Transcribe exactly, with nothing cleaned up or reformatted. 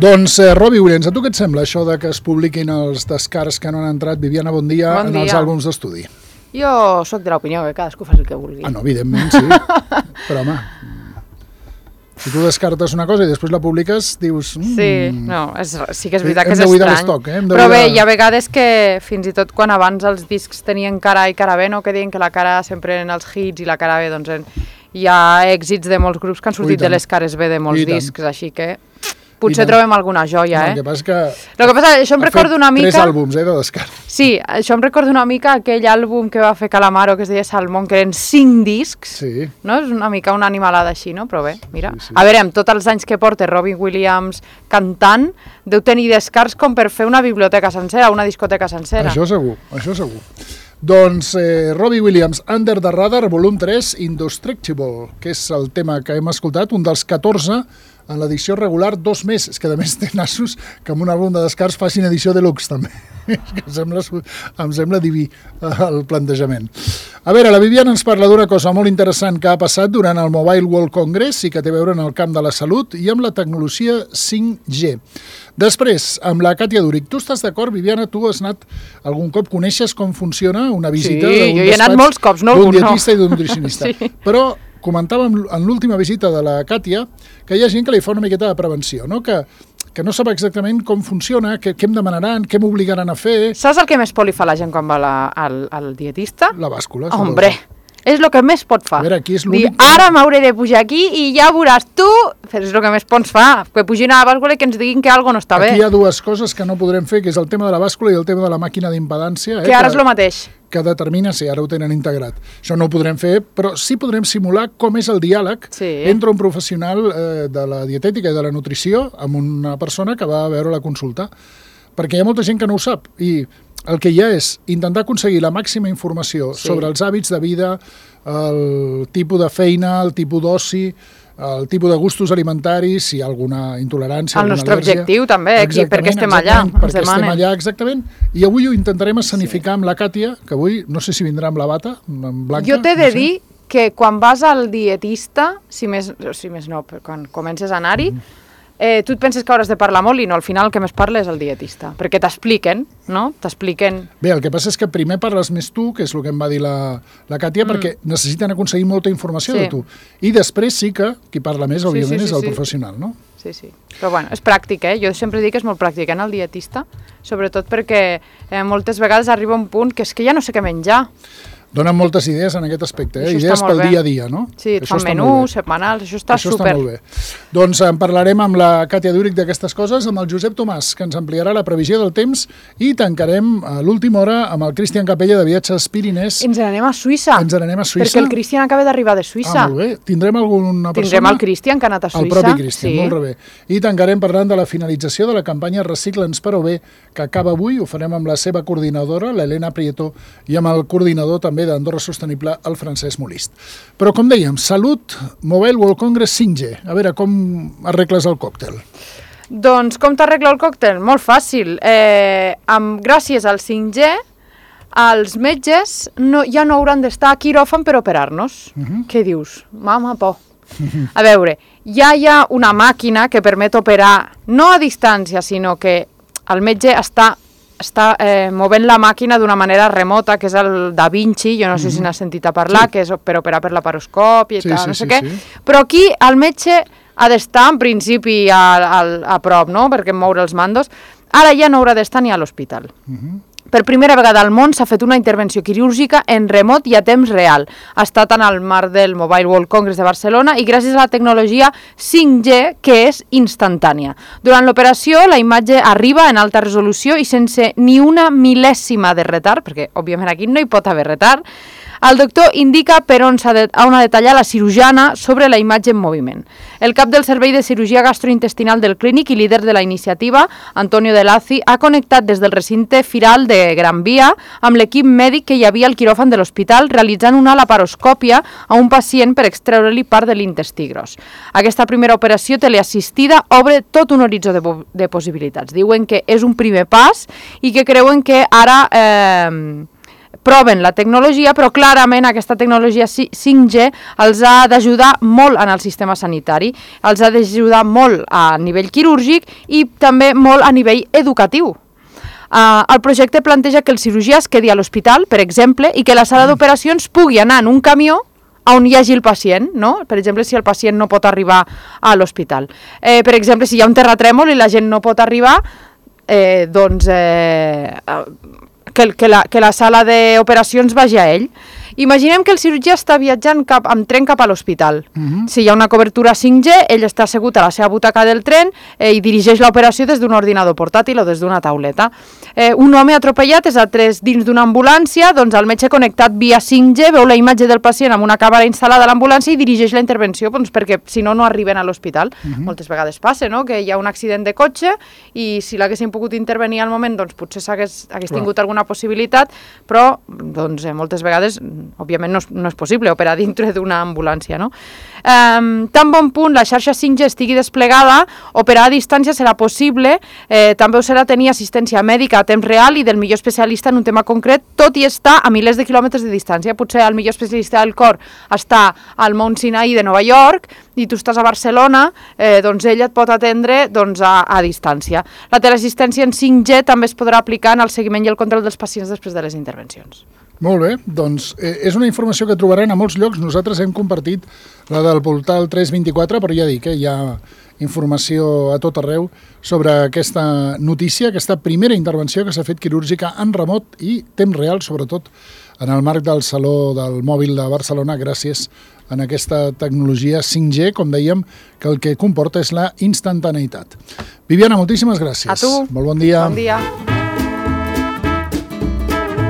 Doncs, eh, Robbie Williams, a tu què et sembla això de que es publiquin els descarts que no han entrat, Viviana, bon dia, bon dia. en els àlbums d'estudi? Jo sóc de l'opinió que cadascú faci el que vulgui. Ah, no, evidentment, sí. Però, home, si tu descartes una cosa i després la publiques, dius... Mm, sí, no, és, sí que és veritat que és estrany. L'estoc, eh? Però bé, hi ha vegades que fins i tot quan abans els discs tenien cara i cara B, no, que deien que la cara sempre eren els hits i la cara B, doncs en, hi ha èxits de molts grups que han sortit de les cares B de molts discs, així que... Potser trobem alguna joia, eh? El que passa és que... El que passa, això em recorda una mica... tres àlbums, eh, de descart. Sí, això em recorda una mica aquell àlbum que va fer Calamaro, que es deia Salmón, que eren cinc discs, sí. No? És una mica una animalada així, no? Però bé, mira. Sí, sí. A veure, amb tots els anys que porta Robbie Williams cantant, deu tenir descarts com per fer una biblioteca sencera, una discoteca sencera. Això segur, això segur. Doncs eh, Robbie Williams, Under the Radar, volum tres, Indestructible, que és el tema que hem escoltat, un dels catorze en l'edició regular, dos més. És que a més té nassos que amb un àlbum de descarts facin edició deluxe també. És que em sembla, em sembla diví el plantejament. A veure, la Viviana ens parla d'una cosa molt interessant que ha passat durant el Mobile World Congress i que té a veure en el camp de la salut i amb la tecnologia cinc G. Després, amb la Katia Duric. Tu estàs d'acord, Viviana? Tu has anat algun cop, coneixes com funciona una visita sí, d'un jo hi he anat molts cops, no? d'un dietista no. i d'un nutricionista. Sí. Però comentàvem en l'última visita de la Katia que hi ha gent que li fa una miqueta de prevenció, no? que, que no sap exactament com funciona, què, què em demanaran, què m'obligaran a fer... Saps el que més por li fa la gent quan va la, al, al dietista? La bàscula. Hombre, és el que més pot fa. A veure, aquí és Dir, ara m'hauré de pujar aquí i ja veuràs tu, és el que més por ens fa, que pugin a la bàscula i que ens diguin que alguna no està aquí bé. Aquí hi ha dues coses que no podrem fer, que és el tema de la bàscula i el tema de la màquina d'impedància. Que eh, ara que... és el mateix. que determina si ara ho tenen integrat. Això no ho podrem fer, però sí podrem simular com és el diàleg sí. entre un professional eh, de la dietètica i de la nutrició amb una persona que va a veure la consulta. Perquè hi ha molta gent que no ho sap i el que hi ha és intentar aconseguir la màxima informació sí. sobre els hàbits de vida, el tipus de feina, el tipus d'oci, el tipus de gustos alimentaris, si hi ha alguna intolerància, el alguna nostre al·lèrgia. Objectiu també, aquí, perquè estem allà. Perquè estem allà, exactament. I avui ho intentarem escenificar sí. amb la Katia, que avui no sé si vindrà amb la bata, amb blanca. Jo t'he de no sé. dir que quan vas al dietista, si més, si més no, quan comences a anar-hi, mm. eh, tu et penses que hauràs de parlar molt i no, al final el que més parla és el dietista, perquè t'expliquen, no? T'expliquen... Bé, el que passa és que primer parles més tu, que és el que em va dir la, la Katia, mm. perquè necessiten aconseguir molta informació sí. de tu. I després sí que qui parla més, òbviament, sí, sí, sí, és el sí. professional, no? Sí, sí. Però bueno, és pràctic, eh? Jo sempre dic que és molt pràctic anar al dietista, sobretot perquè eh, moltes vegades arriba un punt que és que ja no sé què menjar. Donen moltes idees en aquest aspecte, eh? Això idees pel bé. dia a dia, no? Sí, et fan menús, setmanals, això està això super. Això està molt bé. Doncs en parlarem amb la Katia Duric d'aquestes coses, amb el Josep Tomàs, que ens ampliarà la previsió del temps, i tancarem a l'última hora amb el Cristian Capella de Viatges Pirinès. Ens n'anem a Suïssa. Ens n'anem a Suïssa. Perquè el Cristian acaba d'arribar de Suïssa. Ah, molt bé. Tindrem alguna persona? Tindrem el Cristian, que ha anat a Suïssa. El propi Cristian, sí. molt bé. I tancarem parlant de la finalització de la campanya Recicla'ns però bé, que acaba avui. Ho farem amb la seva coordinadora, l'Helena Prieto, i amb el coordinador també d'Andorra Sostenible, el Francesc Molist. Però, com dèiem, salut, Mobile World Congress cinc G. A veure, com arregles el còctel? Doncs com t'arregla el còctel? Molt fàcil. Eh, amb, gràcies al cinc G, els metges no, ja no hauran d'estar a quiròfan per operar-nos. Uh-huh. Què dius? Mama, por. Uh-huh. A veure, ja hi ha una màquina que permet operar no a distància, sinó que el metge està està eh, movent la màquina d'una manera remota, que és el Da Vinci, jo no sé mm-hmm. si n'has sentit a parlar, sí. que és per operar per laparoscòpia i sí, tal, sí, no sé sí, què, sí. Però aquí el metge ha d'estar en principi a, a, a prop, no?, perquè moure els mandos. Ara ja no haurà d'estar ni a l'hospital. Mm-hmm. Per primera vegada al món s'ha fet una intervenció quirúrgica en remot i a temps real. Ha estat en el marc del Mobile World Congress de Barcelona i gràcies a la tecnologia cinc G, que és instantània. Durant l'operació, la imatge arriba en alta resolució i sense ni una mil·lèsima de retard, perquè òbviament aquí no hi pot haver retard, el doctor indica per on s'ha de, on ha de tallar la cirurgiana sobre la imatge en moviment. El cap del Servei de Cirurgia Gastrointestinal del Clínic i líder de la iniciativa, Antonio De Lazi, ha connectat des del recinte firal de Gran Via amb l'equip mèdic que hi havia al quiròfan de l'hospital realitzant una laparoscòpia a un pacient per extreure-li part de l'intestí gros. Aquesta primera operació teleassistida obre tot un horitzó de, de possibilitats. Diuen que és un primer pas i que creuen que ara... Eh, proven la tecnologia, però clarament aquesta tecnologia cinc G els ha d'ajudar molt en el sistema sanitari, els ha d'ajudar molt a nivell quirúrgic i també molt a nivell educatiu. Uh, el projecte planteja que el cirurgià es quedi a l'hospital, per exemple, i que la sala d'operacions pugui anar en un camió on hi hagi el pacient, no? Per exemple, si el pacient no pot arribar a l'hospital. Eh, per exemple, si hi ha un terratrèmol i la gent no pot arribar, eh, doncs eh, que, que, la, que la sala d'operacions vagi a ell. Imaginem que el cirurgià està viatjant cap, amb tren cap a l'hospital. Uh-huh. Si hi ha una cobertura cinc G, ell està assegut a la seva butaca del tren eh, i dirigeix l'operació des d'un ordinador portàtil o des d'una tauleta. Eh, un home atropellat és a tres dins d'una ambulància, doncs el metge connectat via cinc G veu la imatge del pacient amb una càmera instal·lada a l'ambulància i dirigeix la intervenció, doncs, perquè si no, no arriben a l'hospital. Uh-huh. Moltes vegades passa, no?, que hi ha un accident de cotxe i si l'haguessin pogut intervenir al moment, doncs potser s'hagués hagués tingut alguna possibilitat, però doncs, eh, moltes vegades òbviament no és, no és possible operar dintre d'una ambulància, no? Um, tan bon punt la xarxa cinc G estigui desplegada, operar a distància serà possible, eh, també ho serà tenir assistència mèdica a temps real i del millor especialista en un tema concret, tot i estar a milers de quilòmetres de distància. Potser el millor especialista del cor està al Mount Sinai de Nova York i tu estàs a Barcelona, eh, doncs ell et pot atendre doncs, a, a distància. La teleassistència en cinc G també es podrà aplicar en el seguiment i el control dels pacients després de les intervencions. Molt bé, doncs eh, és una informació que trobaran a molts llocs. Nosaltres hem compartit la del portal tres vint-i-quatre, però ja dic, eh, hi ha informació a tot arreu sobre aquesta notícia, aquesta primera intervenció que s'ha fet quirúrgica en remot i temps real, sobretot en el marc del Saló del Mòbil de Barcelona, gràcies a aquesta tecnologia cinc G, com dèiem, que el que comporta és la instantaneïtat. Viviana, moltíssimes gràcies. A tu. Molt bon dia. Bon dia.